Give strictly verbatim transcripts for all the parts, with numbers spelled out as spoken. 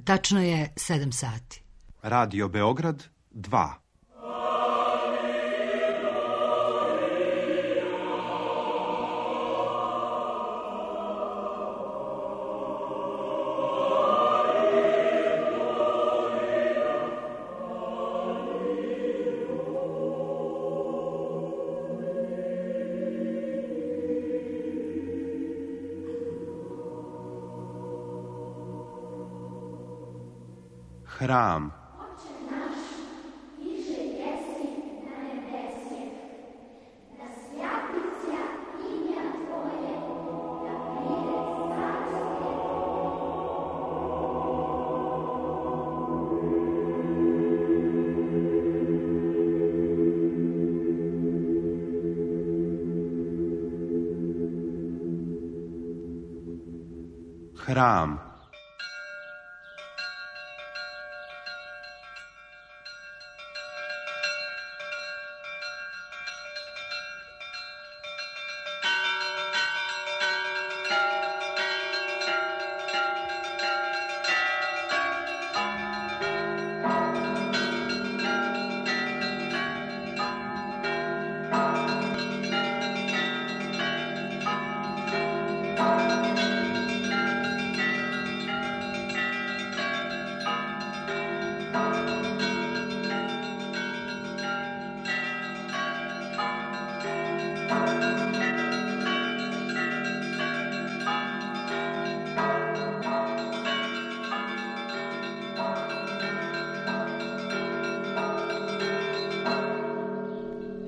Tačno je sedam sati. Radio Beograd dva. Hram. Hram.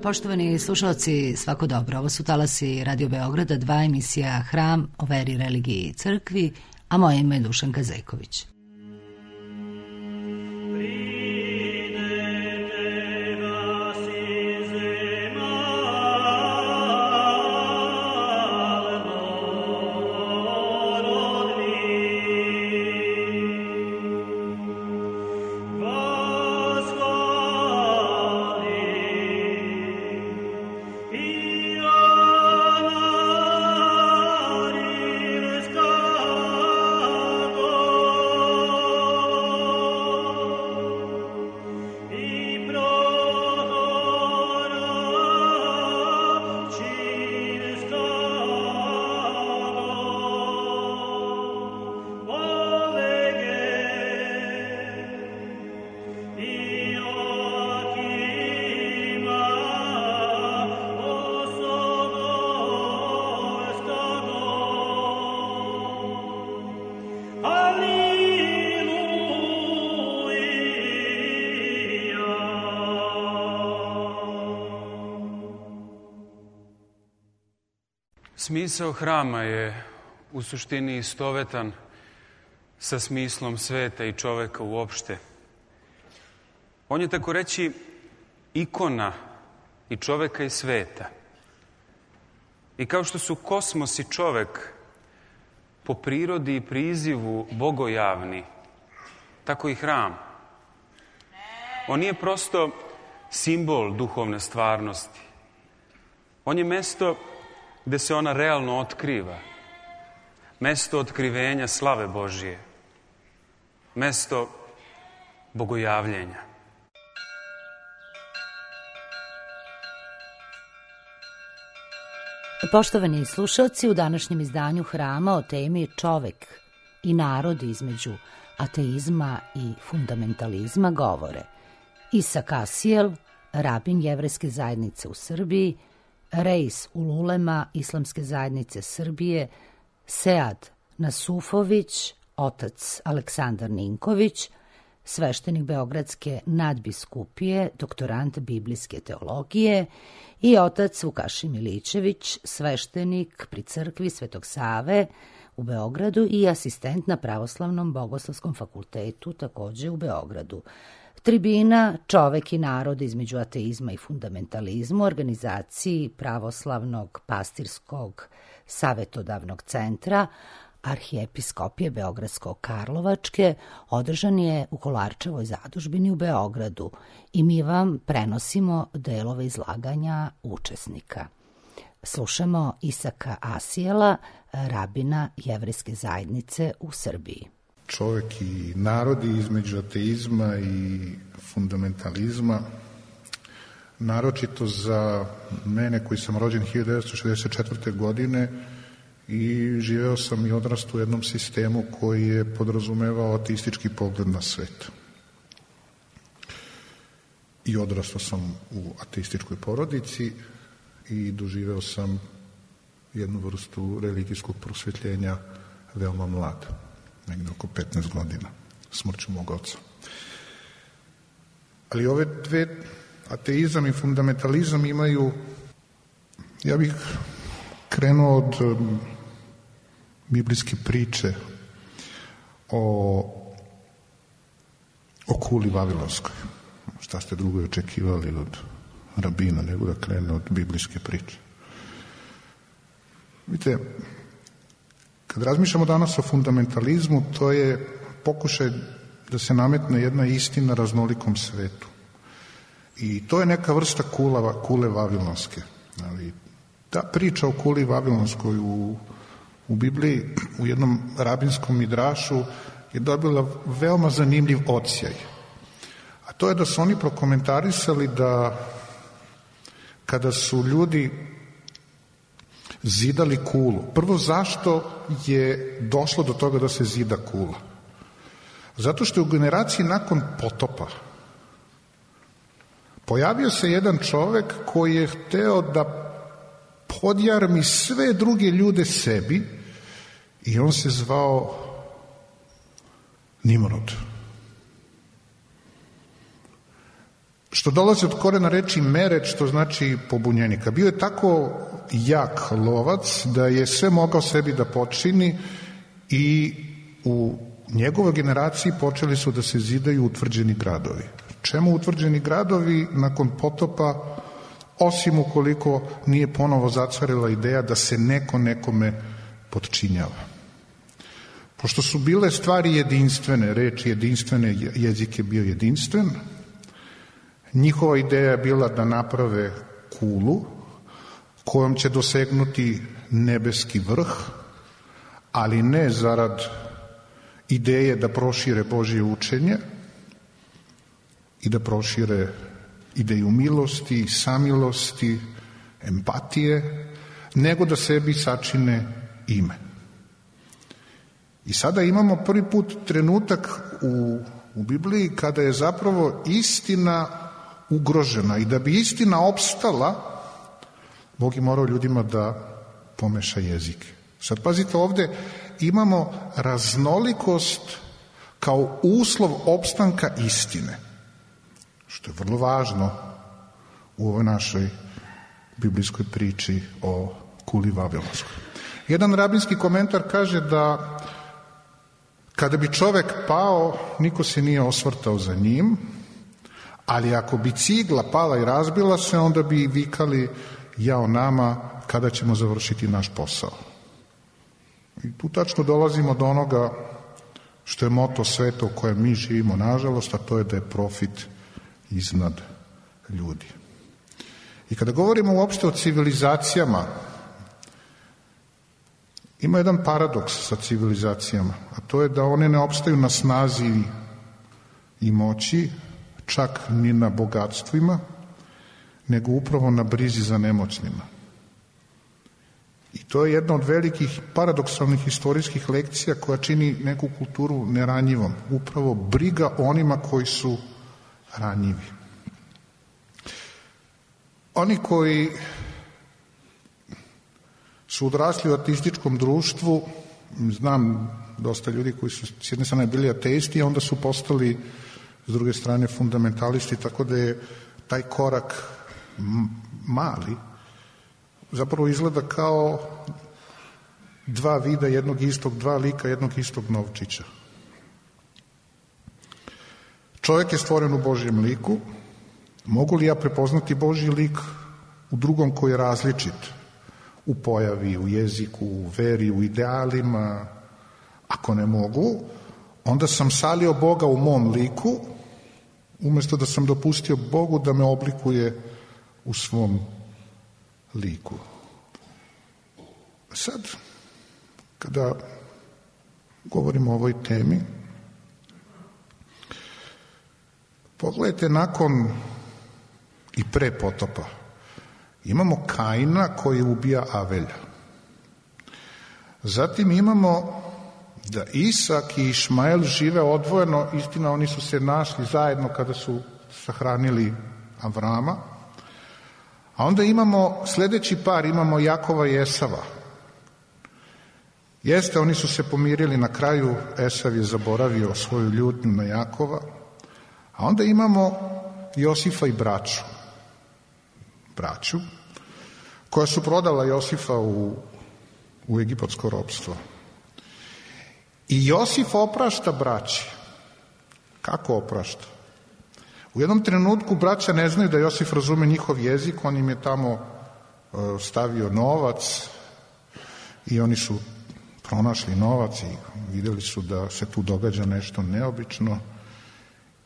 Poštovani slušalci, svako dobro. Ovo su talasi Radio Beograda, dva, emisija Hram o veri, religiji i crkvi, a moje ime je Dušanka Zejković. Smisao hrama je u suštini istovetan sa smislom sveta i čoveka uopšte. On je, tako reći, ikona i čoveka i sveta. I kao što su kosmos i čovek po prirodi i prizivu bogojavni, tako i hram. On nije prosto simbol duhovne stvarnosti. On je mesto gde se ona realno otkriva. Mesto otkrivenja slave Božije. Mesto bogojavljenja. Poštovani slušalci, u današnjem izdanju Hrama o temi čovek i narod između ateizma i fundamentalizma govore Isak Asijel, rabin Jevrejske zajednice u Srbiji, Reis Ululema Islamske zajednice Srbije, Sead Nasufović, otac Aleksandar Ninković, sveštenik Beogradske nadbiskupije, doktorant biblijske teologije, i otac Vukašin Milićević, sveštenik pri crkvi Svetog Save u Beogradu i asistent na Pravoslavnom bogoslovskom fakultetu takođe u Beogradu. Tribina Čovek i narod između ateizma i fundamentalizmu, organizaciji Pravoslavnog pastirskog savetodavnog centra Arhijepiskopije Beogradsko-Karlovačke, održan je u Kolarčevoj zadužbini u Beogradu i mi vam prenosimo delove izlaganja učesnika. Slušamo Isaka Asijela, rabina Jevrejske zajednice u Srbiji. čovjek i narodi između ateizma i fundamentalizma, naročito za mene koji sam rođen hiljadu devetsto šezdeset četvrte. godine i živeo sam i odrastao u jednom sistemu koji je podrazumevao ateistički pogled na svet. I odrastao sam u ateističkoj porodici i doživeo sam jednu vrstu religijskog prosvjetljenja veoma mlad, negdje oko petnaest godina, smrću mog oca. Ali ove dve, ateizam i fundamentalizam, imaju, ja bih krenuo od um, biblijske priče o, o kuli vavilonskoj. Šta ste drugo očekivali od rabina nego da krene od biblijske priče? Vidite, kad razmišljamo danas o fundamentalizmu, to je pokušaj da se nametne jedna istina raznolikom svetu. I to je neka vrsta kula, kule vavilonske. Ali ta priča o kuli vavilonskoj u, u Bibliji, u jednom rabinskom midrašu, je dobila veoma zanimljiv odsjaj. A to je da su oni prokomentarisali da kada su ljudi zidali kulu, prvo zašto je došlo do toga da se zida kula? Zato što je u generaciji nakon potopa pojavio se jedan čovek koji je hteo da podjarmi sve druge ljude sebi i on se zvao Nimrod. Što dolazi od korena reči mered, što znači pobunjenika. Bio je tako jak lovac da je sve mogao sebi da počini i u njegovoj generaciji počeli su da se zidaju utvrđeni gradovi. Čemu utvrđeni gradovi nakon potopa, osim ukoliko nije ponovo zacvarila ideja da se neko nekome potčinjava. Pošto su bile stvari jedinstvene, reči jedinstvene, jezik je bio jedinstven, njihova ideja je bila da naprave kulu kojom će dosegnuti nebeski vrh, ali ne zarad ideje da prošire Božje učenje i da prošire ideju milosti, samilosti, empatije, nego da sebi sačine ime. I sada imamo prvi put trenutak u, u Bibliji kada je zapravo istina ugrožena i da bi istina opstala, Bog je morao ljudima da pomeša jezike. Sad pazite, ovde imamo raznolikost kao uslov opstanka istine, što je vrlo važno u ovoj našoj biblijskoj priči o kuli vavilonskoj. Jedan rabinski komentar kaže da kada bi čovek pao, niko se nije osvrtao za njim, ali ako bi cigla pala i razbila se, onda bi vikali jao nama kada ćemo završiti naš posao. I tu tačno dolazimo do onoga što je moto sveta u kojem mi živimo, nažalost, a to je da je profit iznad ljudi. I kada govorimo uopšte o civilizacijama, ima jedan paradoks sa civilizacijama, a to je da one ne opstaju na snazi i moći, čak ni na bogatstvima, nego upravo na brizi za nemoćnima. I to je jedna od velikih paradoksalnih istorijskih lekcija koja čini neku kulturu neranjivom. Upravo briga onima koji su ranjivi. Oni koji su odrasli u ateističkom društvu, znam dosta ljudi koji su s jedne strane bili ateisti, a onda su postali s druge strane fundamentalisti, tako da je taj korak mali, zapravo izgleda kao dva vida jednog istog, dva lika jednog istog novčića. Čovjek je stvoren u Božjem liku. Mogu li ja prepoznati Božji lik u drugom koji je različit? U pojavi, u jeziku, u veri, u idealima? Ako ne mogu, onda sam salio Boga u mom liku, umjesto da sam dopustio Bogu da me oblikuje u svom liku. Sad, kada govorimo o ovoj temi, Pogledajte, nakon i pre potopa imamo Kaina koji ubija Avelja. Zatim imamo da Isak i Išmael žive odvojeno, istina oni su se našli zajedno kada su sahranili Avrama, a onda imamo sledeći par, imamo Jakova i Esava. Jeste, oni su se pomirili na kraju, Esav je zaboravio svoju ljutnju na Jakova, a onda imamo Josifa i braću, braću, koja su prodala Josifa u, u egipatsko ropstvo. I Josif oprašta braći. Kako oprašta? U jednom trenutku braća ne znaju da Josif razume njihov jezik, on im je tamo stavio novac i oni su pronašli novac i vidjeli su da se tu događa nešto neobično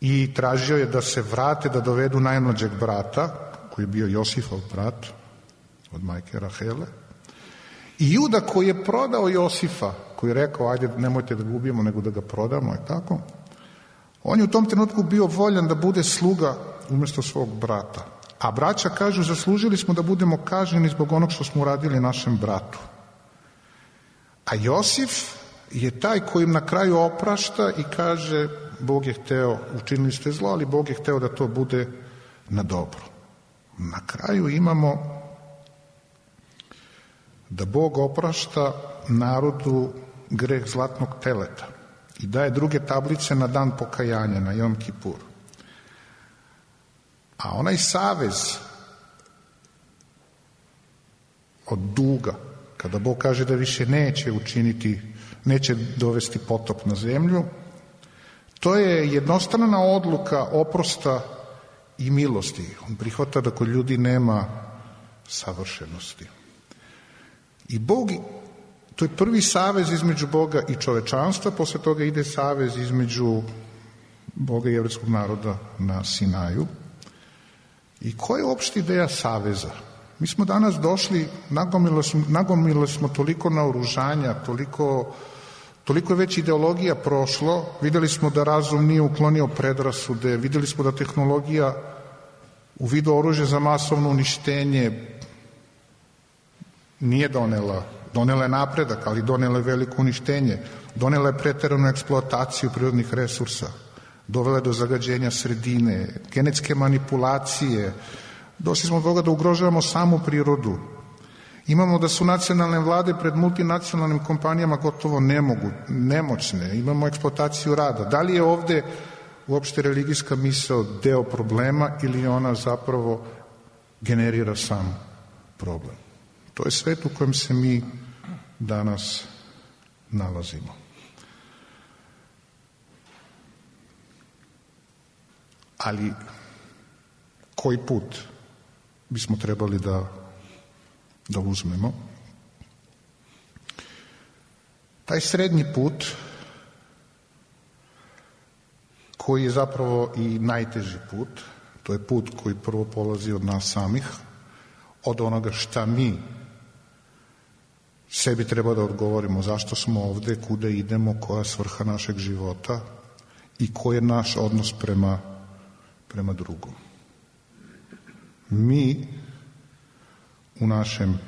i tražio je da se vrate, da dovedu najmlađeg brata, koji je bio Josifov brat od majke Rahele. I Juda koji je prodao Josifa, koji je rekao ajde nemojte da ga ubijemo nego da ga prodamo, je tako? On je u tom trenutku bio voljan da bude sluga umjesto svog brata. A braća kažu zaslužili smo da budemo kažnjeni zbog onog što smo uradili našem bratu. A Josif je taj koji im na kraju oprašta i kaže Bog je hteo, učinili ste zlo, ali Bog je hteo da to bude na dobro. Na kraju imamo da Bog oprašta narodu greh zlatnog teleta i daje druge tablice na dan pokajanja, na Jom Kipur. A onaj savez od duga, kada Bog kaže da više neće učiniti, neće dovesti potop na zemlju, to je jednostrana odluka oprosta i milosti. On prihvata da kod ljudi nema savršenosti. I Bog, to je prvi savez između Boga i čovečanstva, posle toga ide savez između Boga i jevrejskog naroda na Sinaju. I koja je uopšte ideja saveza? Mi smo danas došli, nagomili smo, nagomili smo toliko naoružanja, toliko, toliko je već ideologija prošlo, videli smo da razum nije uklonio predrasude, videli smo da tehnologija u vidu oružja za masovno uništenje nije donela, donela je napredak, ali donela je veliko uništenje, donela je preteranu eksploataciju prirodnih resursa, dovela je do zagađenja sredine, genetske manipulacije, došli smo do toga da ugrožavamo samu prirodu. Imamo da su nacionalne vlade pred multinacionalnim kompanijama gotovo nemogu, nemoćne, imamo eksploataciju rada. Da li je ovde uopšte religijska misao deo problema ili ona zapravo generira sam problem? To je svet u kojem se mi danas nalazimo. Ali koji put bismo trebali da, da uzmemo? Taj srednji put, koji je zapravo i najteži put, to je put koji prvo polazi od nas samih, od onoga šta mi sebi treba da odgovorimo, zašto smo ovde, kuda idemo, koja je svrha našeg života i koji je naš odnos prema, prema drugom. Mi u našem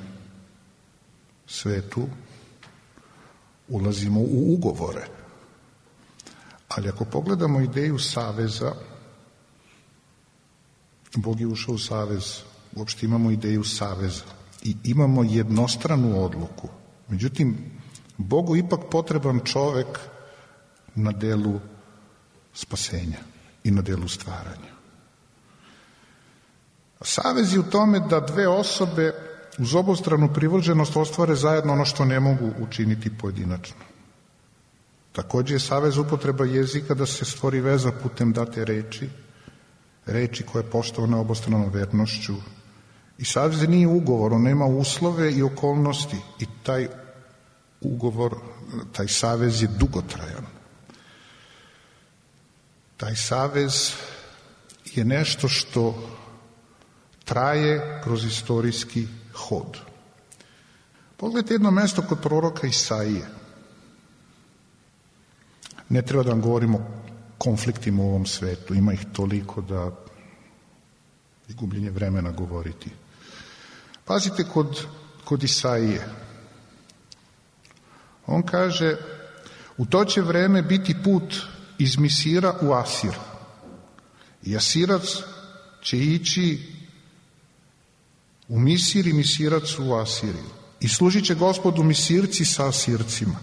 svetu ulazimo u ugovore, ali ako pogledamo ideju saveza, Bog je ušao u savez, uopšte imamo ideju saveza i imamo jednostranu odluku. Međutim, Bogu ipak potreban čovek na delu spasenja i na delu stvaranja. Savez je u tome da dve osobe uz obostranu privrženost ostvare zajedno ono što ne mogu učiniti pojedinačno. Takođe je savez upotreba jezika da se stvori veza putem date reči, reči koja je poštovana obostranom vernošću. I savez nije ugovor, on nema uslove i okolnosti i taj ugovor, taj savez je dugotrajan. Taj savez je nešto što traje kroz istorijski hod. Pogledajte jedno mesto kod proroka Isaije. Ne treba da vam govorimo konfliktima u ovom svetu. Ima ih toliko da je gubljenje vremena govoriti. Pazite kod, kod Isaije. On kaže, u to će vreme biti put iz Misira u Asir. I Asirac će ići u Misir i Misirac u Asiriju. I služit će Gospodu Misirci sa Asircima.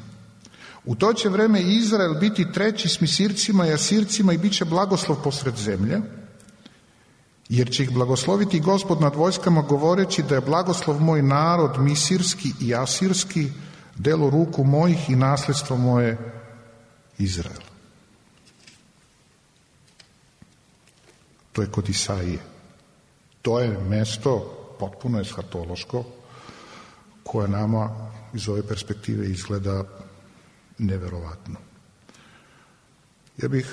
U to će vreme Izrael biti treći s Misircima i Asircima i bit će blagoslov posred zemlje, jer će ih blagosloviti Gospod nad vojskama govoreći da je blagoslov moj narod misirski i asirski, delo ruku mojih i nasljedstvo moje Izrael. To je kod Isaije. To je mesto potpuno eshatološko koje nama iz ove perspektive izgleda neverovatno. Ja bih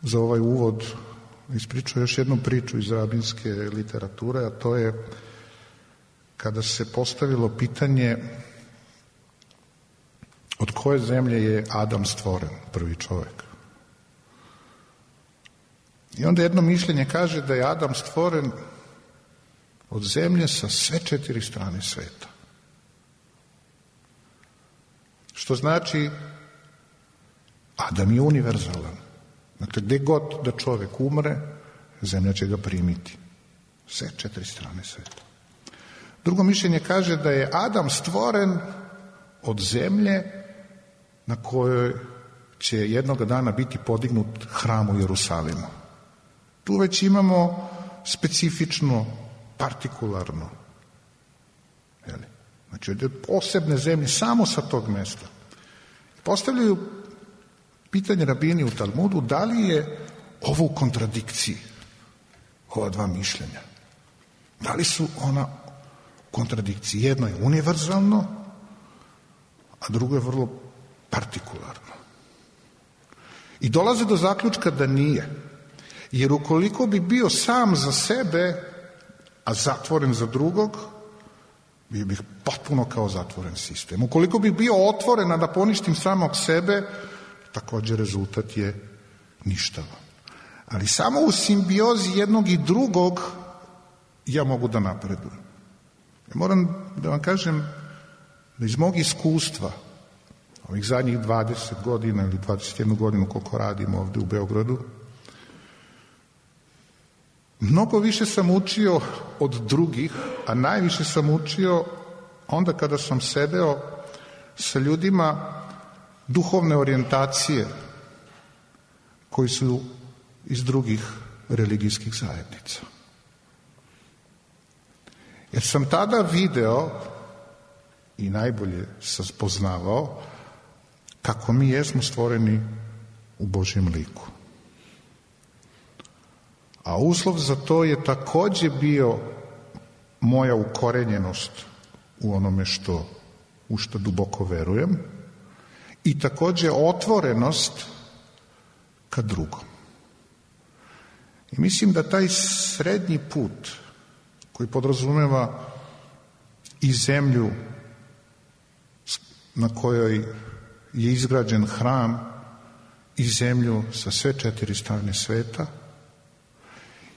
za ovaj uvod ispričao još jednu priču iz rabinske literature, a to je kada se postavilo pitanje od koje zemlje je Adam stvoren, prvi čovjek. I onda jedno mišljenje kaže da je Adam stvoren od zemlje sa sve četiri strane sveta. Što znači Adam je univerzalan. Dakle, gdje god da čovjek umre, zemlja će ga primiti. Sve četiri strane sveta. Drugo mišljenje kaže da je Adam stvoren od zemlje na kojoj će jednoga dana biti podignut hram u Jerusalimu. Tu već imamo specifično, partikularno. Jeli? Znači, od posebne zemlje, samo sa tog mjesta. Postavljaju pitanje rabini u Talmudu, da li je ovo u kontradikciji, ova dva mišljenja? Da li su ona u kontradikciji? Jedno je univerzalno, a drugo je vrlo partikularno. I dolaze do zaključka da nije. Jer ukoliko bi bio sam za sebe, a zatvoren za drugog, bio bih potpuno kao zatvoren sistem. Ukoliko bi bio otvoren, a da poništim samog sebe, također rezultat je ništavan. Ali samo u simbiozi jednog i drugog ja mogu da napredujem. Ja moram da vam kažem da iz mog iskustva, ovih zadnjih dvadeset godina ili dvadeset jednu godinu koliko radim ovdje u Beogradu, mnogo više sam učio od drugih, a najviše sam učio onda kada sam sedeo sa ljudima duhovne orijentacije koji su iz drugih religijskih zajednica. Jer sam tada video i najbolje sam spoznavao kako mi jesmo stvoreni u Božjem liku. A uslov za to je također bio moja ukorenjenost u onome što, u što duboko verujem i također otvorenost ka drugom. I mislim da taj srednji put koji podrazumeva i zemlju na kojoj je izgrađen hram i zemlju sa sve četiri strane sveta,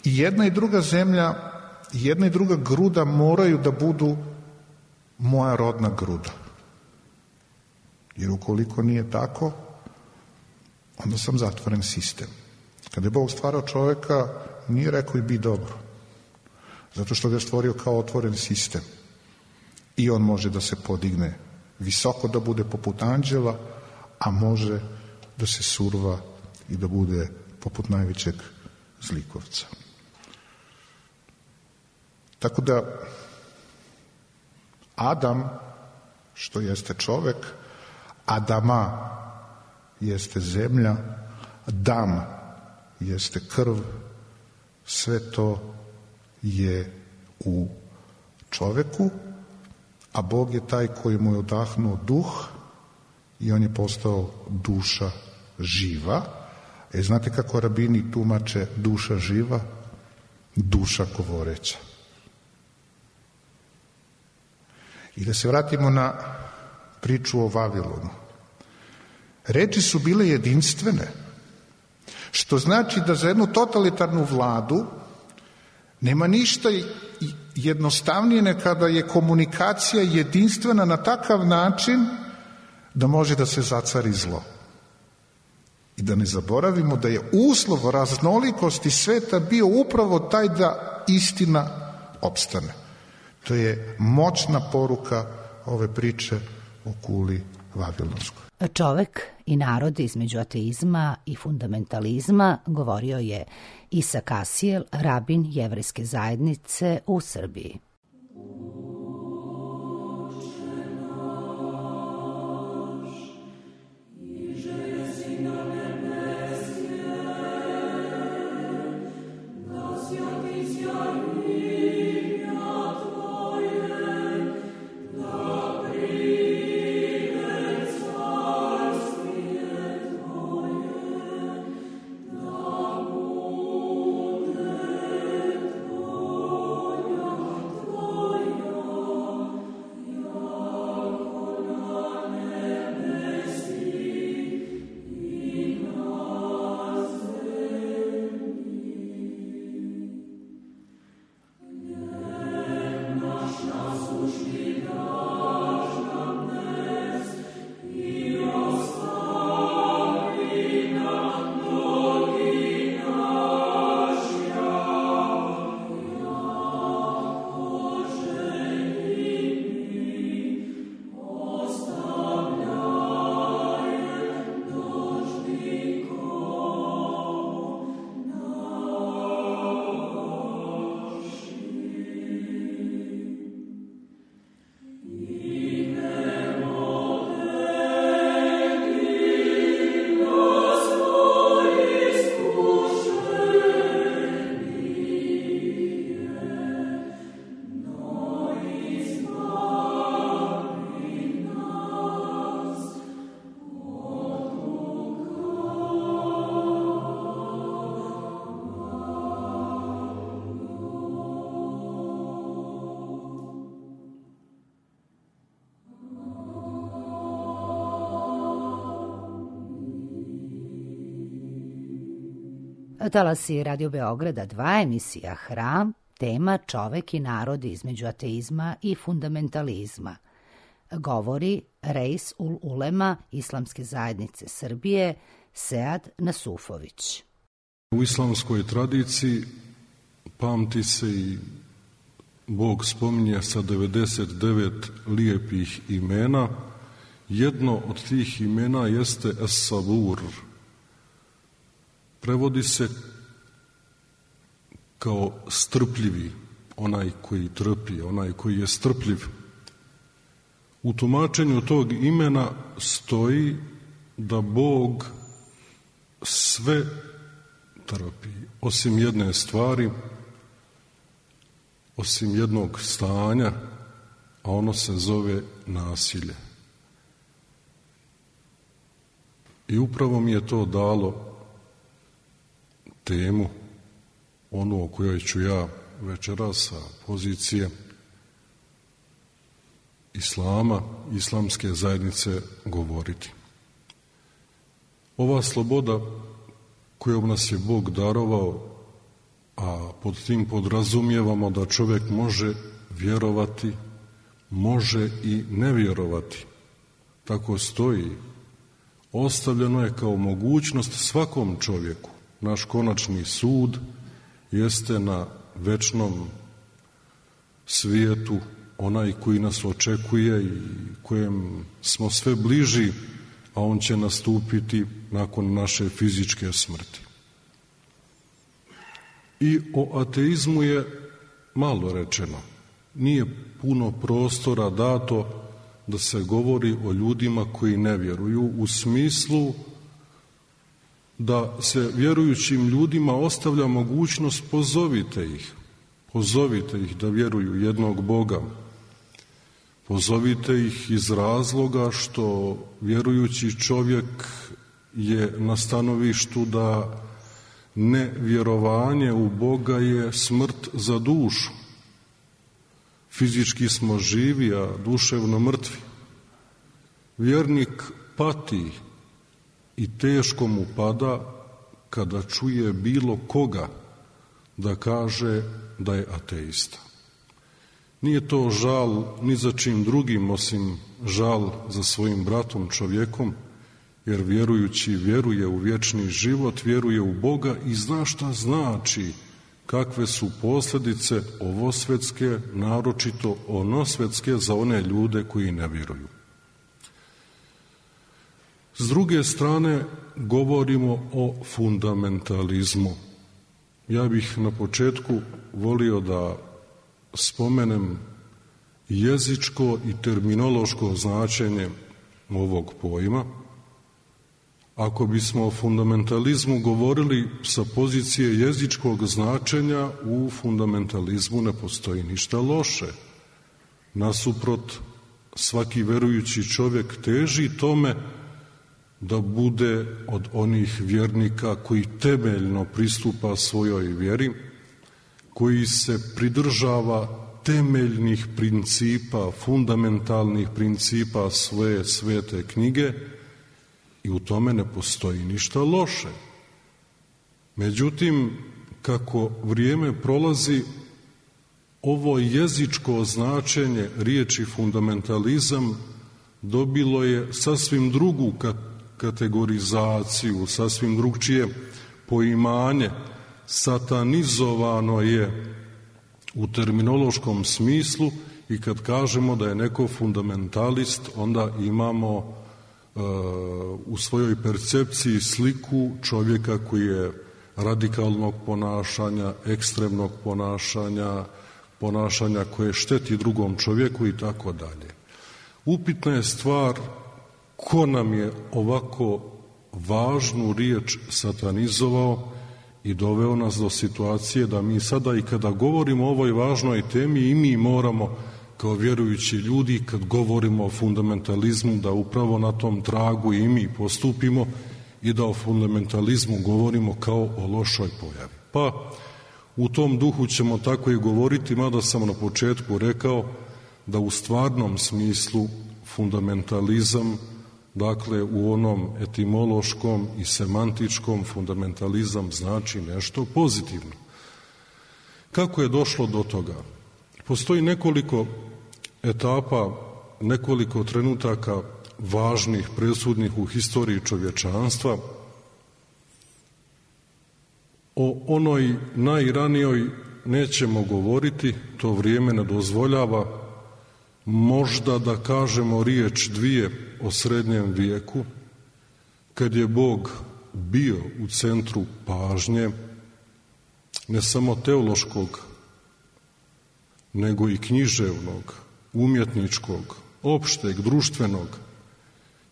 i jedna i druga zemlja, jedna i druga gruda moraju da budu moja rodna gruda. Jer ukoliko nije tako, onda sam zatvoren sistem. Kada je Bog stvarao čovjeka, nije rekao i bi dobro. Zato što ga je stvorio kao otvoren sistem. I on može da se podigne visoko, da bude poput anđela, a može da se surva i da bude poput najvećeg zlikovca. Tako da Adam, što jeste čovjek, Adama jeste zemlja, Dam jeste krv, sve to je u čovjeku, a Bog je taj koji mu je odahnuo duh i on je postao duša živa. E, znate kako rabini tumače duša živa? Duša govoreća. I da se vratimo na priču o Vavilonu. Reči su bile jedinstvene. Što znači da za jednu totalitarnu vladu nema ništa jednostavnije nego kada je komunikacija jedinstvena na takav način da može da se zacari zlo. I da ne zaboravimo da je uslov raznolikosti sveta bio upravo taj da istina opstane. To je moćna poruka ove priče o kuli Vavilonskoj. Čovek i narod između ateizma i fundamentalizma, govorio je Isak Asijel, rabin jevrejske zajednice u Srbiji. Talasi Radio Beograda dva, emisija Hram, tema čovek i narod između ateizma i fundamentalizma. Govori Reis ul Ulema Islamske zajednice Srbije, Sead Nasufović. U islamskoj tradiciji pamti se i Bog spominje sa devedeset devet lijepih imena. Jedno od tih imena jeste Es-Sabur. Prevodi se kao strpljivi, onaj koji trpi, onaj koji je strpljiv. U tumačenju tog imena stoji da Bog sve trpi, osim jedne stvari, osim jednog stanja, a ono se zove nasilje. I upravo mi je to dalo temu, onu o kojoj ću ja večeras sa pozicije islama, islamske zajednice govoriti. Ova sloboda kojom nas je Bog darovao, a pod tim podrazumijevamo da čovjek može vjerovati, može i ne vjerovati, tako stoji, ostavljeno je kao mogućnost svakom čovjeku. Naš konačni sud jeste na večnom svijetu, onaj koji nas očekuje i kojem smo sve bliži, a on će nastupiti nakon naše fizičke smrti. I o ateizmu je malo rečeno. Nije puno prostora dato da se govori o ljudima koji ne vjeruju, u smislu da se vjerujućim ljudima ostavlja mogućnost pozovite ih, pozovite ih da vjeruju jednog Boga, pozovite ih iz razloga što vjerujući čovjek je na stanovištu da nevjerovanje u Boga je smrt za dušu. Fizički smo živi, a duševno mrtvi. Vjernik pati i teško mu pada kada čuje bilo koga da kaže da je ateista. Nije to žal ni za čim drugim osim žal za svojim bratom čovjekom, jer vjerujući vjeruje u vječni život, vjeruje u Boga i zna šta znači, kakve su posljedice ovosvetske, naročito onosvetske za one ljude koji ne vjeruju. S druge strane, govorimo o fundamentalizmu. Ja bih na početku volio da spomenem jezičko i terminološko značenje ovog pojma. Ako bismo o fundamentalizmu govorili sa pozicije jezičkog značenja, u fundamentalizmu ne postoji ništa loše. Nasuprot, svaki verujući čovjek teži tome da bude od onih vjernika koji temeljno pristupa svojoj vjeri, koji se pridržava temeljnih principa, fundamentalnih principa svoje svete knjige, i u tome ne postoji ništa loše. Međutim, kako vrijeme prolazi, ovo jezičko značenje riječi fundamentalizam dobilo je sasvim drugu kategorizaciju, sasvim drugčije poimanje, satanizovano je u terminološkom smislu i kad kažemo da je neko fundamentalist, onda imamo uh, u svojoj percepciji sliku čovjeka koji je radikalnog ponašanja, ekstremnog ponašanja, ponašanja koje šteti drugom čovjeku i tako dalje. Upitna je stvar ko nam je ovako važnu riječ satanizovao i doveo nas do situacije da mi sada i kada govorimo o ovoj važnoj temi i mi moramo kao vjerujući ljudi kad govorimo o fundamentalizmu da upravo na tom tragu i mi postupimo i da o fundamentalizmu govorimo kao o lošoj pojavi. Pa u tom duhu ćemo tako i govoriti, mada sam na početku rekao da u stvarnom smislu fundamentalizam, dakle u onom etimološkom i semantičkom, fundamentalizam znači nešto pozitivno. Kako je došlo do toga? Postoji nekoliko etapa, nekoliko trenutaka važnih, presudnih u historiji čovječanstva. O onoj najranijoj nećemo govoriti, to vrijeme ne dozvoljava. Možda da kažemo riječ dvije o srednjem vijeku, kad je Bog bio u centru pažnje, ne samo teološkog, nego i književnog, umjetničkog, opšteg, društvenog.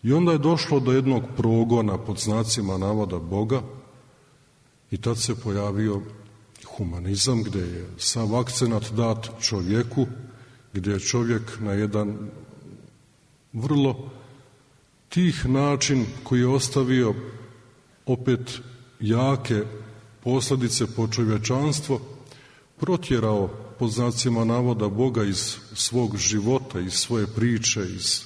I onda je došlo do jednog progona pod znacima navoda Boga i tad se pojavio humanizam gdje je sav akcenat dat čovjeku, gdje je čovjek na jedan vrlo tih način koji je ostavio opet jake posljedice po čovječanstvo, protjerao pod znacima navoda Boga iz svog života, iz svoje priče, iz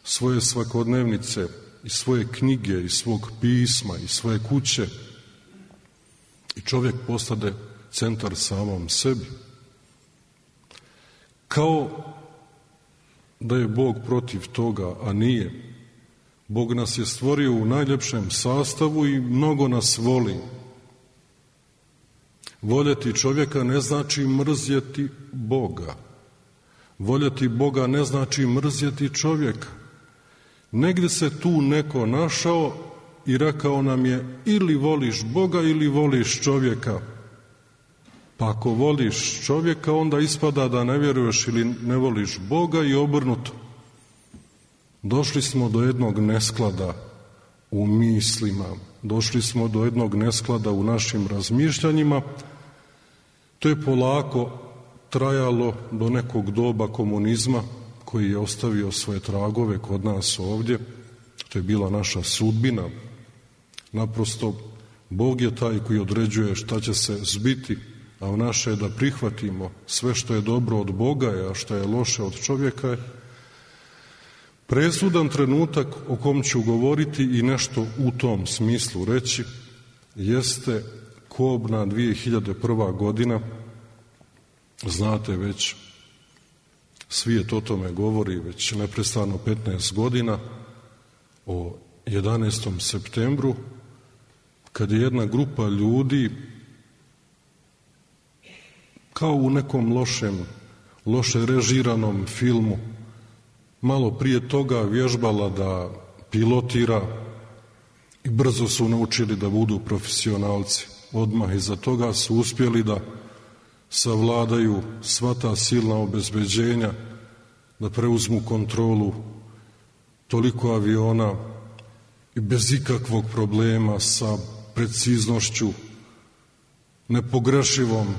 svoje svakodnevnice, iz svoje knjige, iz svog pisma, iz svoje kuće. I čovjek postade centar samom sebi. Kao da je Bog protiv toga, a nije. Bog nas je stvorio u najljepšem sastavu i mnogo nas voli. Voljeti čovjeka ne znači mrzjeti Boga. Voljeti Boga ne znači mrzjeti čovjeka. Negdje se tu neko našao i rekao nam je ili voliš Boga ili voliš čovjeka. Pa ako voliš čovjeka, onda ispada da ne vjeruješ ili ne voliš Boga i obrnuto. Došli smo do jednog nesklada u mislima, došli smo do jednog nesklada u našim razmišljanjima. To je polako trajalo do nekog doba komunizma koji je ostavio svoje tragove kod nas ovdje. To je bila naša sudbina. Naprosto, Bog je taj koji određuje šta će se zbiti, a u naše je da prihvatimo sve što je dobro od Boga, a što je loše od čovjeka je. Presudan trenutak o kom ću govoriti i nešto u tom smislu reći jeste kobna dvije hiljade prva godina, znate već, svijet o tome govori već neprestano petnaest godina, o jedanaestom septembru, kad je jedna grupa ljudi kao u nekom lošem, loše režiranom filmu, malo prije toga vježbala da pilotira i brzo su naučili da budu profesionalci. Odmah iza toga su uspjeli da savladaju sva ta silna obezbeđenja, da preuzmu kontrolu toliko aviona i bez ikakvog problema sa preciznošću nepogrešivom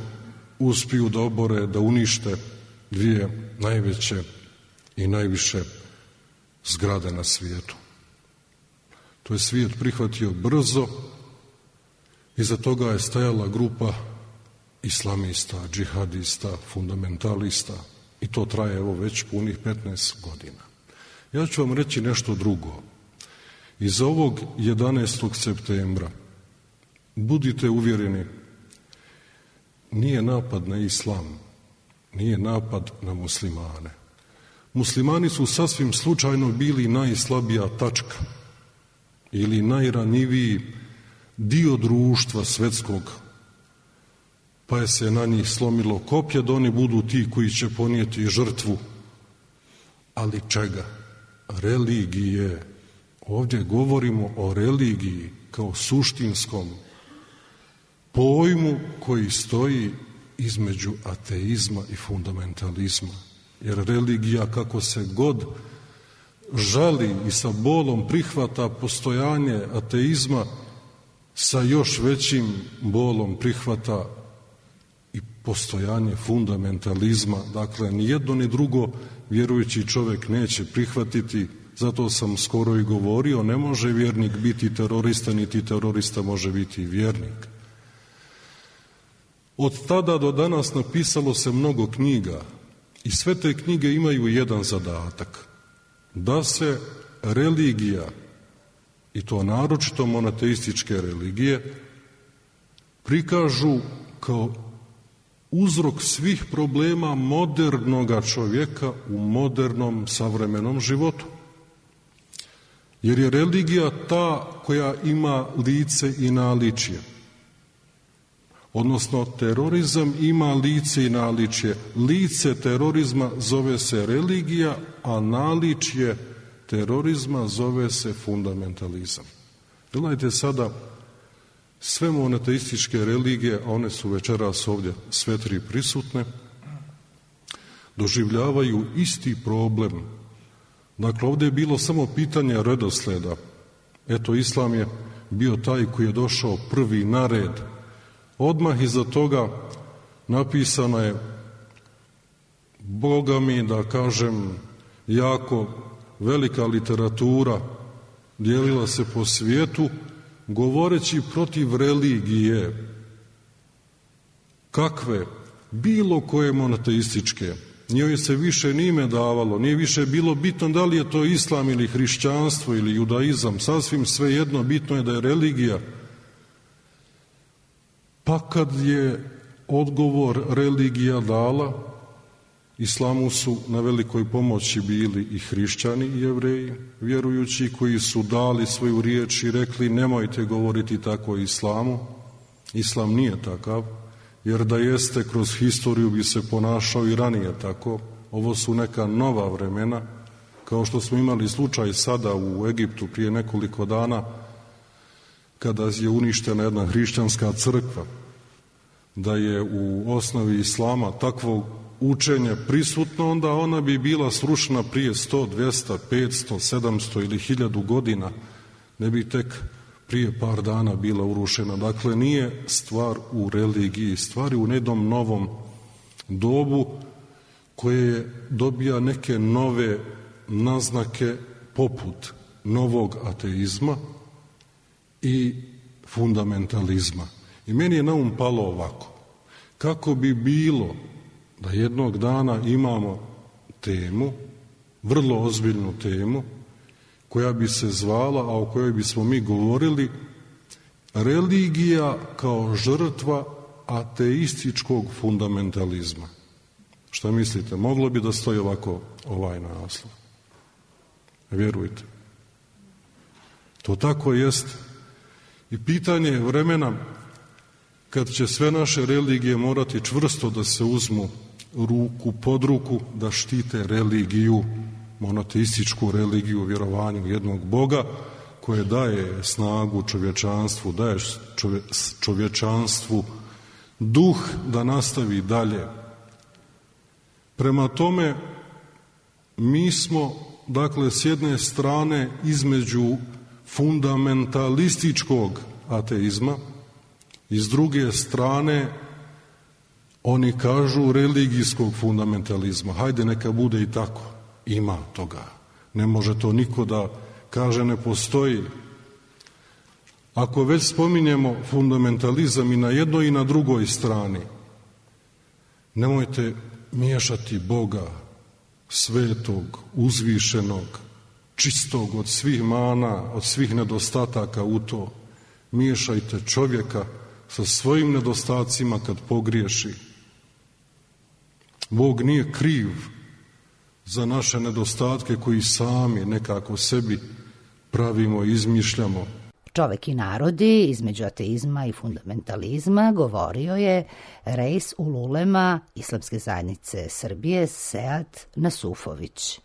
uspiju da obore, da unište dvije najveće i najviše zgrade na svijetu. To je svijet prihvatio brzo, iza toga je stajala grupa islamista, džihadista, fundamentalista i to traje evo već punih petnaest godina. Ja ću vam reći nešto drugo. Iz ovog jedanaestog septembra budite uvjereni, nije napad na islam, nije napad na muslimane. Muslimani su sasvim slučajno bili najslabija tačka ili najranjiviji dio društva svetskog, pa je se na njih slomilo koplje da oni budu ti koji će ponijeti žrtvu. Ali čega? Religije. Ovdje govorimo o religiji kao suštinskom pojmu koji stoji između ateizma i fundamentalizma. Jer religija, kako se god žali i sa bolom prihvata postojanje ateizma, sa još većim bolom prihvata i postojanje fundamentalizma. Dakle, ni jedno ni drugo vjerujući čovjek neće prihvatiti. Zato sam skoro i govorio, ne može vjernik biti terorista, niti terorista može biti vjernik. Od tada do danas napisalo se mnogo knjiga i sve te knjige imaju jedan zadatak, da se religija, i to naročito monoteističke religije, prikažu kao uzrok svih problema modernoga čovjeka u modernom savremenom životu. Jer je religija ta koja ima lice i naličje. Odnosno, terorizam ima lice i naličje. Lice terorizma zove se religija, a naličje terorizma zove se fundamentalizam. Gledajte sada, sve monoteističke religije, a one su večeras ovdje sve tri prisutne, doživljavaju isti problem. Dakle, ovdje je bilo samo pitanje redosleda. Eto, islam je bio taj koji je došao prvi na red. Odmah iza toga napisana je, Boga mi da kažem, jako velika literatura, dijelila se po svijetu, govoreći protiv religije. Kakve? Bilo koje monoteističke. Njoj se više ni ime davalo, nije više bilo bitno da li je to islam ili hrišćanstvo ili judaizam, sasvim svejedno, bitno je da je religija. Pa kad je odgovor religija dala, islamu su na velikoj pomoći bili i hrišćani i jevreji, vjerujući, koji su dali svoju riječ i rekli nemojte govoriti tako o islamu. Islam nije takav, jer da jeste, kroz historiju bi se ponašao i ranije tako. Ovo su neka nova vremena, kao što smo imali slučaj sada u Egiptu prije nekoliko dana, kada je uništena jedna hrišćanska crkva, da je u osnovi islama takvo učenje prisutno, onda ona bi bila srušena prije sto, dvjesto, petsto, sedamsto ili hiljadu godina, ne bi tek prije par dana bila urušena. Dakle, nije stvar u religiji, stvar je u jednom novom dobu koje dobija neke nove naznake poput novog ateizma i fundamentalizma. I meni je na um palo ovako, kako bi bilo da jednog dana imamo temu, vrlo ozbiljnu temu, koja bi se zvala, a o kojoj bismo mi govorili, religija kao žrtva ateističkog fundamentalizma. Šta mislite? Moglo bi da stoji ovako ovaj naslov? Vjerujte. To tako jest. I pitanje je vremena kad će sve naše religije morati čvrsto da se uzmu ruku pod ruku, da štite religiju, monoteističku religiju, vjerovanju jednog Boga, koje daje snagu čovječanstvu, daje čovje, čovječanstvu duh da nastavi dalje. Prema tome, mi smo, dakle, s jedne strane između fundamentalističkog ateizma i s druge strane oni kažu religijskog fundamentalizma. Hajde, neka bude i tako. Ima toga. Ne može to niko da kaže ne postoji. Ako već spominjemo fundamentalizam i na jednoj i na drugoj strani, nemojte miješati Boga, svetog, uzvišenog, čistog od svih mana, od svih nedostataka u to. Miješajte čovjeka sa svojim nedostacima kad pogriješi. Bog nije kriv za naše nedostatke koji sami nekako sebi pravimo i izmišljamo. Čovek i narodi između ateizma i fundamentalizma govorio je Reis Ululema Islamske zajednice Srbije Sead Nasufović.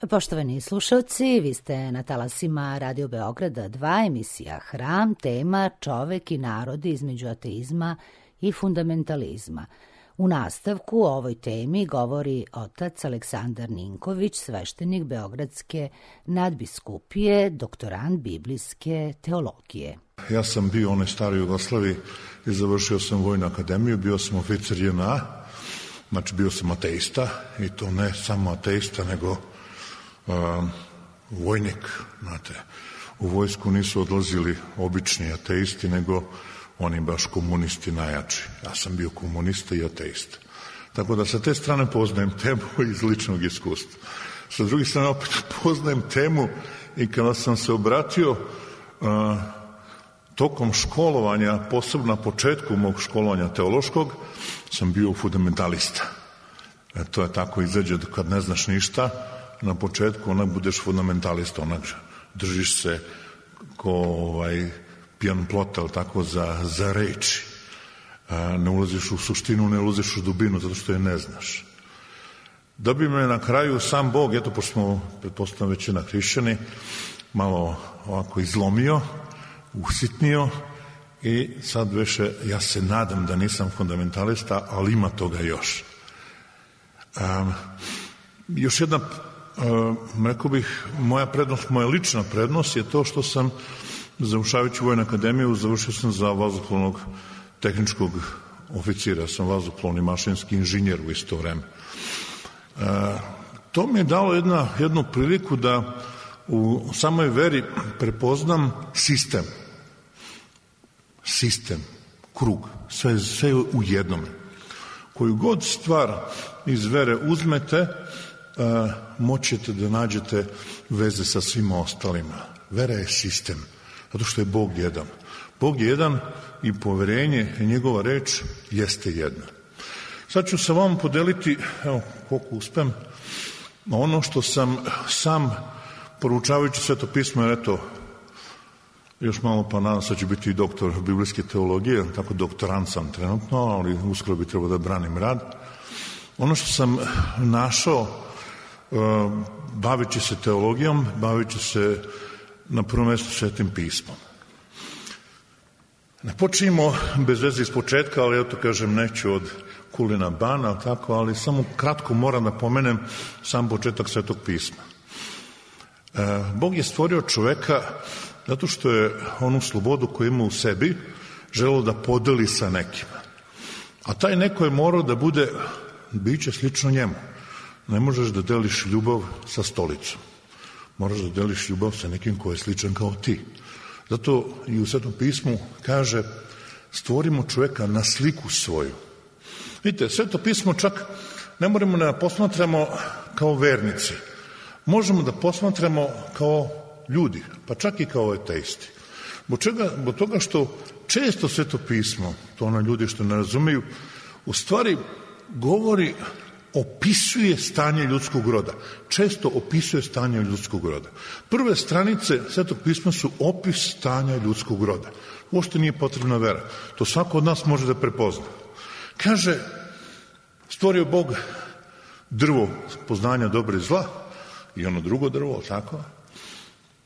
Poštovani slušalci, vi ste na talasima Radio Beograda dva, emisija Hram, tema Čovek i narodi između ateizma i fundamentalizma. U nastavku o ovoj temi govori otac Aleksandar Ninković, sveštenik Beogradske nadbiskupije, doktorant biblijske teologije. Ja sam bio u onoj staroj Jugoslaviji i završio sam vojnu akademiju, bio sam oficir J N A, znači bio sam ateista i to ne samo ateista, nego Uh, vojnik, znate, u vojsku nisu odlazili obični ateisti, nego oni baš komunisti najjači. Ja sam bio komunista i ateista. Tako da sa te strane poznajem temu iz ličnog iskustva. Sa druge strane opet poznajem temu i kada sam se obratio uh, tokom školovanja, posebno na početku mog školovanja teološkog, sam bio fundamentalista. E, to je tako izađe kad ne znaš ništa, na početku onak budeš fundamentalista, onak držiš se ko ovaj, pijan plota, tako za, za reči. A, ne ulaziš u suštinu, ne ulaziš u dubinu, zato što je ne znaš. Da bi me na kraju sam Bog, eto, pošto smo, pretpostavljam, većina hrišćani, malo ovako izlomio, usitnio i sad više, ja se nadam da nisam fundamentalista, ali ima toga još. A, još jedna Uh, rekao bih, moja prednost, moja lična prednost je to što sam, završavajući Vojnu akademiju, završio sam za vazduhoplovnog tehničkog oficira, sam vazduhoplovni mašinski inženjer u isto vreme. To mi je dalo jedna, jednu priliku da u samoj veri prepoznam sistem. Sistem, krug, sve, sve u jednome. Koju god stvar iz vere uzmete, moćete da nađete veze sa svima ostalima. Vera je sistem, zato što je Bog jedan. Bog je jedan i poverenje i njegova reč jeste jedna. Sad ću sa vama podeliti, evo koliko uspem, ono što sam sam poručavajući Sveto pismo, jer eto, još malo pa nadam se da ću biti i doktor biblijske teologije, tako doktorant sam trenutno, ali uskoro bi trebao da branim rad. Ono što sam našao, baveći se teologijom, baveći se na prvom mjestu Svetim pismom. Ne počinjemo bez veze iz početka, ali ja to kažem neću od Kulina Bana, tako, ali samo kratko moram da pomenem sam početak Svetog pisma. E, Bog je stvorio čoveka zato što je onu slobodu koju ima u sebi želeo da podeli sa nekima. A taj neko je morao da bude biće slično njemu. Ne možeš da deliš ljubav sa stolicom. Moraš da deliš ljubav sa nekim ko je sličan kao ti. Zato i u Svetom pismu kaže stvorimo čoveka na sliku svoju. Vidite, Sveto pismo čak ne moramo da posmatramo kao vernici. Možemo da posmatramo kao ljudi, pa čak i kao ateisti. Zbog čega? Zbog toga što često Sveto pismo, to ono ljudi što ne razumeju, u stvari govori, opisuje stanje ljudskog roda. Često opisuje stanje ljudskog roda. Prve stranice Svetog pisma su opis stanja ljudskog roda. Uopšte nije potrebna vera. To svako od nas može da prepozna. Kaže, stvorio Bog drvo poznanja dobra i zla i ono drugo drvo, tako?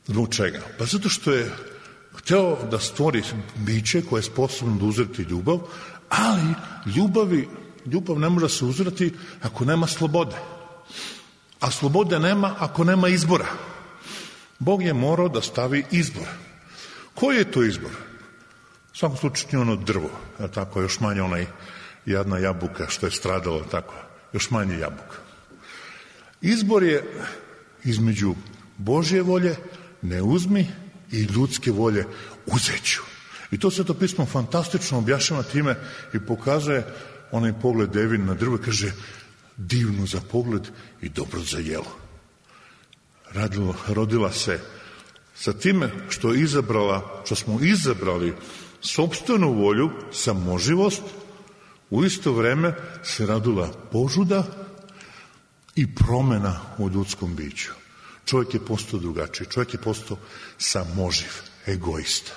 Zbog čega? Pa zato što je hteo da stvori biće koje je sposobno da uzreti ljubav, ali ljubavi, ljubav ne može se uzreti ako nema slobode. A slobode nema ako nema izbora. Bog je morao da stavi izbor. Koji je to izbor? U svakom slučaju ono drvo, a tako još manje onaj jadna jabuka što je stradalo, tako, još manje jabuka. Izbor je između Božje volje, ne uzmi, i ljudske volje, uzeću. I to Sveto pismo fantastično objašnjava time i pokazuje onaj pogled Devin na drvo, kaže divno za pogled i dobro za jelo. Radilo, rodila se sa time što je izabrala, što smo izabrali sopstvenu volju, samoživost, u isto vreme se radila požuda i promena u ljudskom biću. Čovjek je postao drugačiji, čovjek je postao samoživ, egoista.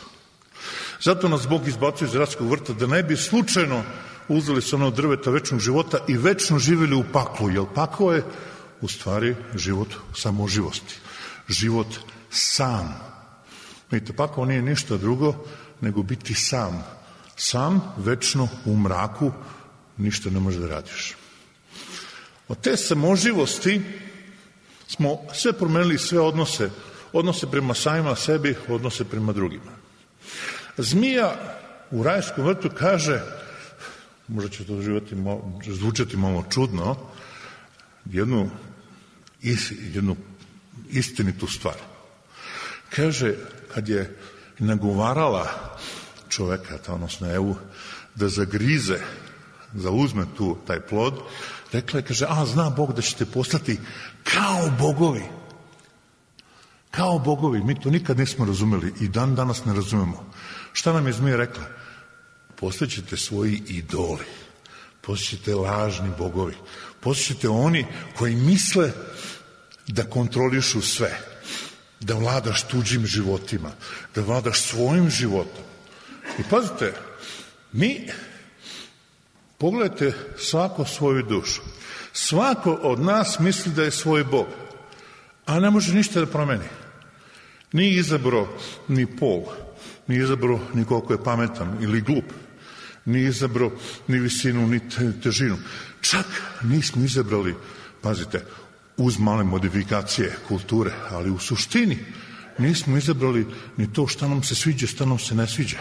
Zato nas Bog izbacuje iz Edemskog vrta da ne bi slučajno uzeli sa onog drveta večnog života i večno živjeli u paklu, jer paklo je u stvari život samoživosti, život sam. Vidite, paklo nije ništa drugo nego biti sam. Sam, večno, u mraku, ništa ne može da radiš. Od te samoživosti smo sve promenili, sve odnose, odnose prema samima sebi, odnose prema drugima. Zmija u rajskom vrtu kaže, možda će to živati, zvučati malo čudno, jednu, jednu istinitu stvar. Kaže, kad je nagovarala čoveka, odnosno Evu, da zagrize, da uzme tu taj plod, rekla je, kaže, a zna Bog da ćete postati kao bogovi. Kao bogovi. Mi to nikad nismo razumeli i dan danas ne razumemo. Šta nam je zmija rekla? Postaćete svoji idoli. Postaćete lažni bogovi. Postaćete oni koji misle da kontrolišu sve. Da vladaš tuđim životima. Da vladaš svojim životom. I pazite, mi, pogledajte svako svoju dušu. Svako od nas misli da je svoj Bog, a ne može ništa da promeni. Nije izabrao ni pol, nije izabrao ni koliko je pametan ili glup, nije izabrao ni visinu, ni težinu. Čak nismo izabrali, pazite, uz male modifikacije kulture, ali u suštini nismo izabrali ni to šta nam se sviđa, šta nam se ne sviđa.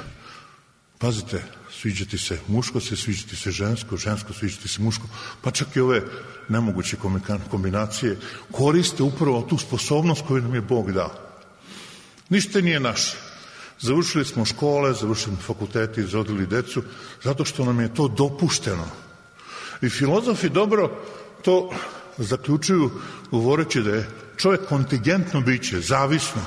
Pazite, sviđa ti se muško, se sviđa ti se žensko, žensko sviđa ti se muško, pa čak i ove nemoguće kombinacije koriste upravo tu sposobnost koju nam je Bog dao. Ništa nije naše. Završili smo škole, završili smo fakultete, izrodili decu, zato što nam je to dopušteno. I filozofi dobro to zaključuju govoreći da je čovjek kontingentno biće, zavisno,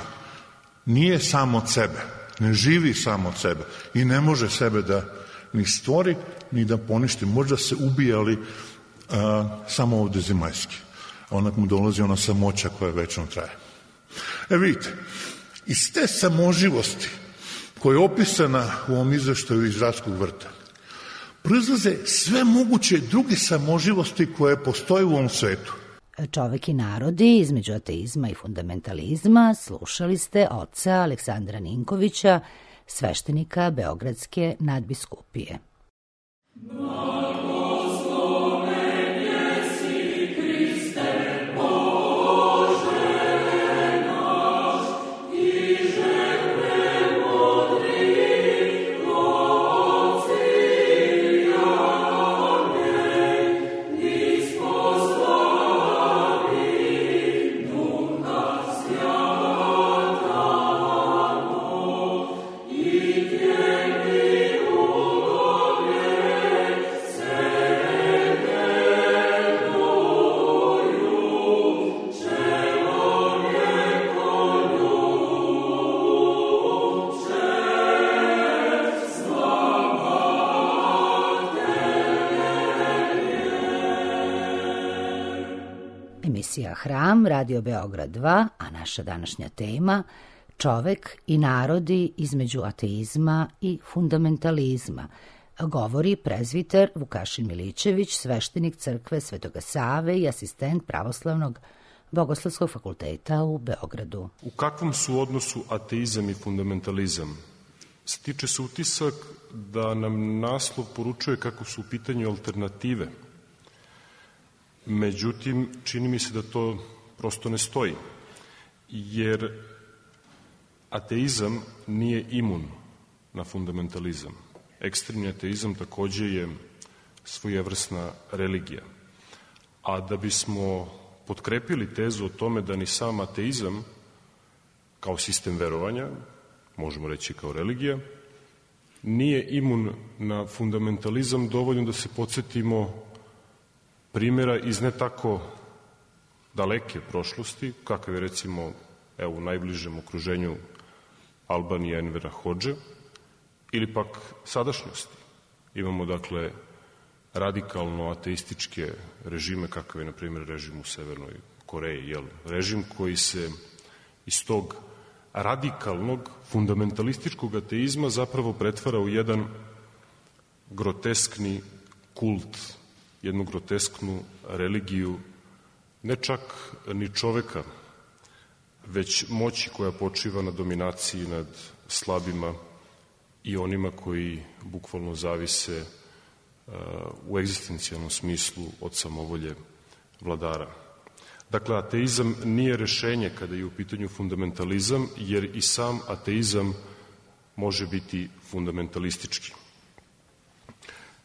nije samo od sebe, ne živi samo od sebe i ne može sebe da ni stvori, ni da poništi. Možda se ubijali a, samo ovde zemaljski. Onak mu dolazi ona samoća koja večno traje. E vidite, iz te samoživosti koja je opisana u ovom izveštaju iz Radskog vrta, proizlaze sve moguće druge samoživosti koje postoje u ovom svetu. Čovek i narodi između ateizma i fundamentalizma slušali ste oca Aleksandra Ninkovića, sveštenika Beogradske nadbiskupije. Emisija Hram, Radio Beograd dva, a naša današnja tema čovek i narodi između ateizma i fundamentalizma. Govori prezviter Vukašin Milićević, sveštenik crkve Svetoga Save i asistent Pravoslavnog Bogoslovskog fakulteta u Beogradu. U kakvom su odnosu ateizam i fundamentalizam? Stiče se utisak da nam naslov poručuje kako su u pitanju alternative. Međutim, čini mi se da to prosto ne stoji, jer ateizam nije imun na fundamentalizam. Ekstremni ateizam takođe je svojevrsna religija. A da bismo potkrepili tezu o tome da ni sam ateizam kao sistem verovanja, možemo reći kao religija, nije imun na fundamentalizam, dovoljno da se podsjetimo primjera iz ne tako daleke prošlosti, kakav je recimo evo, u najbližem okruženju Albanija Envera Hodže, ili pak sadašnjosti. Imamo, dakle, radikalno ateističke režime, kakav je, na primjer, režim u Severnoj Koreji, jel? Režim koji se iz tog radikalnog, fundamentalističkog ateizma zapravo pretvara u jedan groteskni kult, jednu grotesknu religiju, ne čak ni čoveka, već moći koja počiva na dominaciji nad slabima i onima koji bukvalno zavise uh, u egzistencijalnom smislu od samovolje vladara. Dakle, ateizam nije rešenje kada je u pitanju fundamentalizam, jer i sam ateizam može biti fundamentalistički.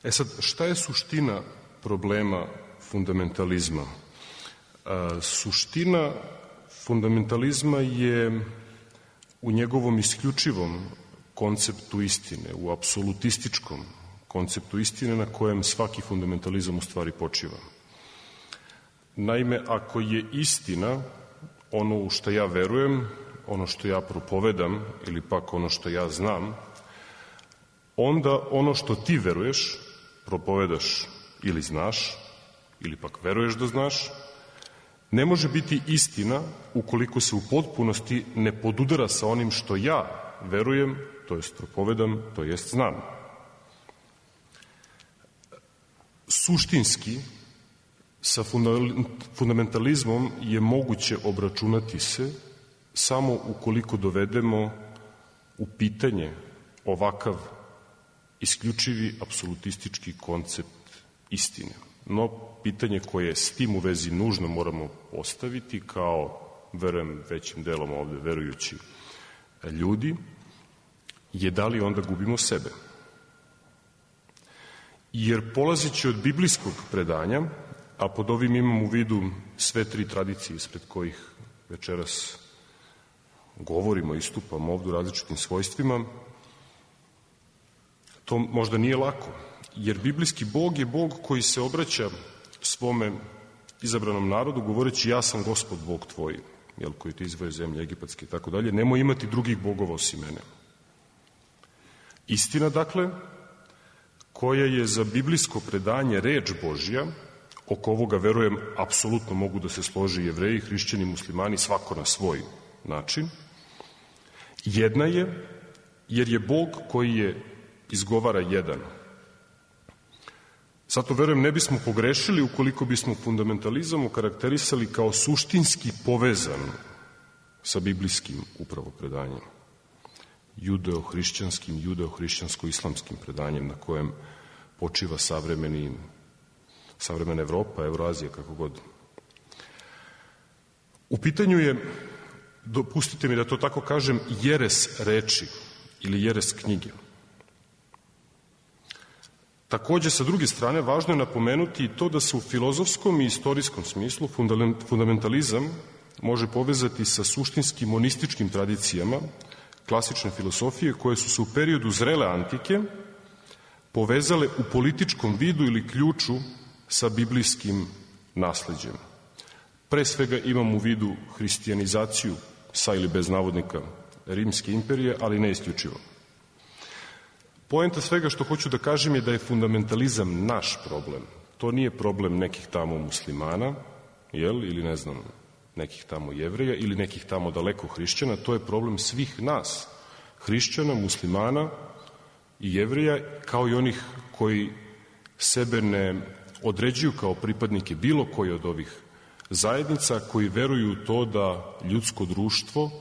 E sad, šta je suština problema fundamentalizma? Uh, suština fundamentalizma je u njegovom isključivom konceptu istine, u apsolutističkom konceptu istine na kojem svaki fundamentalizam u stvari počiva. Naime, ako je istina ono u što ja verujem, ono što ja propovedam ili pak ono što ja znam, onda ono što ti veruješ, propovedaš ili znaš, ili pak veruješ da znaš, ne može biti istina ukoliko se u potpunosti ne podudara sa onim što ja verujem, to jest propovedam, to jest znam. Suštinski, sa fundamentalizmom je moguće obračunati se samo ukoliko dovedemo u pitanje ovakav isključivi apsolutistički koncept istine. No, pitanje koje s tim u vezi nužno moramo postaviti kao, verujem, većim delom ovde verujući ljudi, je da li onda gubimo sebe. jer polazeći od biblijskog predanja, a pod ovim imam u vidu sve tri tradicije ispred kojih večeras govorimo, istupamo ovdje u različitim svojstvima, to možda nije lako, jer biblijski Bog je Bog koji se obraća svome izabranom narodu govoreći ja sam Gospod Bog tvoj, jel, koji te izvoje zemlje egipatske i tako dalje, nemoj imati drugih bogova osim mene. Istina, dakle, koja je za biblijsko predanje reč Božja, oko ovoga, verujem, apsolutno mogu da se složi Jevreji, hrišćani, muslimani, svako na svoj način. Jedna je, jer je Bog koji je izgovara jedan. Zato, verujem, ne bismo pogrešili ukoliko bismo fundamentalizam okarakterisali kao suštinski povezan sa biblijskim upravo predanjem. Judeo-hrišćanskim, judeo-hrišćansko-islamskim predanjem na kojem počiva savremeni, savremena Evropa, Evroazija, kako god. U pitanju je, dopustite mi da to tako kažem, jeres reči ili jeres knjige. Takođe, sa druge strane, važno je napomenuti i to da se u filozofskom i istorijskom smislu fundamentalizam može povezati sa suštinskim monističkim tradicijama klasične filosofije koje su se u periodu zrele antike povezale u političkom vidu ili ključu sa biblijskim nasleđem. Pre svega imam u vidu hristijanizaciju sa ili bez navodnika Rimske imperije, ali ne isključivo. Poenta svega što hoću da kažem je da je fundamentalizam naš problem. To nije problem nekih tamo muslimana, jel, ili ne znam, nekih tamo Jevreja ili nekih tamo daleko hrišćana, to je problem svih nas, hrišćana, muslimana i Jevreja, kao i onih koji sebe ne određuju kao pripadnike bilo koje od ovih zajednica, koji veruju u to da ljudsko društvo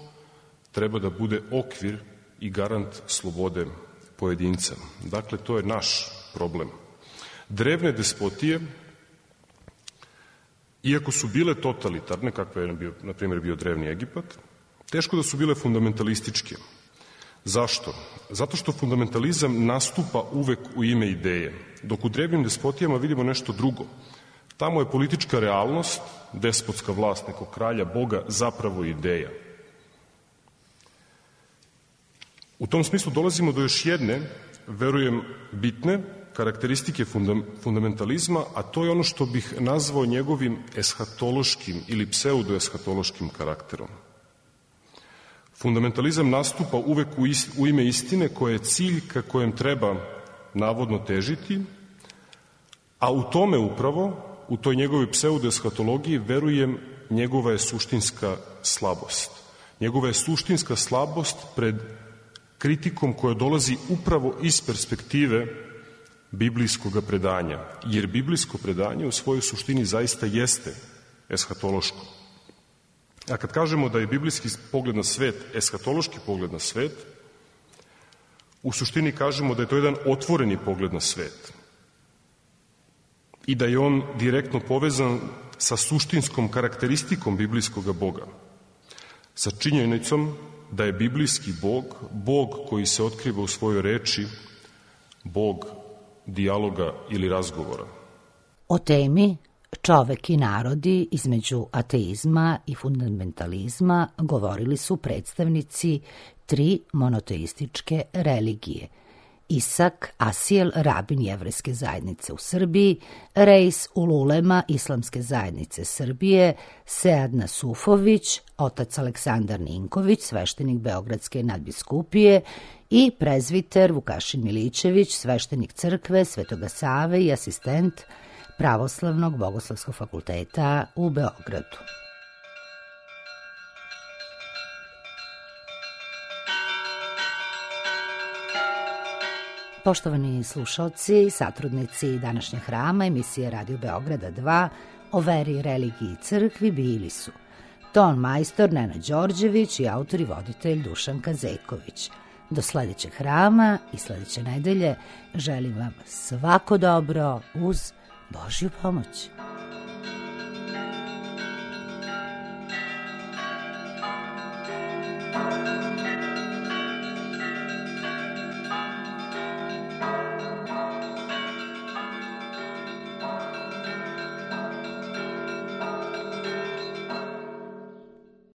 treba da bude okvir i garant slobode pojedinca. Dakle, to je naš problem. Drevne despotije, iako su bile totalitarne, kakva je, bio, na primjer, bio drevni Egipat, teško da su bile fundamentalističke. Zašto? Zato što fundamentalizam nastupa uvek u ime ideje, dok u drevnim despotijama vidimo nešto drugo. Tamo je politička realnost, despotska vlast nekog kralja, Boga, zapravo ideja. U tom smislu dolazimo do još jedne, verujem, bitne karakteristike fundamentalizma, a to je ono što bih nazvao njegovim eshatološkim ili pseudoeshatološkim karakterom. Fundamentalizam nastupa uvek u, ist, u ime istine koja je cilj ka kojem treba navodno težiti, a u tome upravo, u toj njegovoj pseudoeshatologiji, verujem, njegova je suštinska slabost. Njegova je suštinska slabost pred kritikom koja dolazi upravo iz perspektive biblijskog predanja, jer biblijsko predanje u svojoj suštini zaista jeste eshatološko. A kad kažemo da je biblijski pogled na svet eshatološki pogled na svet, u suštini kažemo da je to jedan otvoreni pogled na svet i da je on direktno povezan sa suštinskom karakteristikom biblijskog Boga, sa činjenicom da je biblijski Bog, Bog koji se otkriva u svojoj reči, Bog dijaloga ili razgovora. O temi čovek i narodi između ateizma i fundamentalizma govorili su predstavnici tri monoteističke religije. Isak Asiel, rabin jevrejske zajednice u Srbiji, Reis Ululema islamske zajednice Srbije, Sead Nasufović, otac Aleksandar Ninković, sveštenik Beogradske nadbiskupije i prezviter Vukašin Milićević, sveštenik crkve Svetoga Save i asistent Pravoslavnog bogoslovskog fakulteta u Beogradu. Poštovani slušalci, satrudnici današnjeg hrama emisije Radio Beograda dva o veri, religiji i crkvi bili su ton majstor Nenad Đorđević i autor i voditelj Dušan Kazeković. Do sledećeg hrama i sledeće nedelje želim vam svako dobro uz Božju pomoć.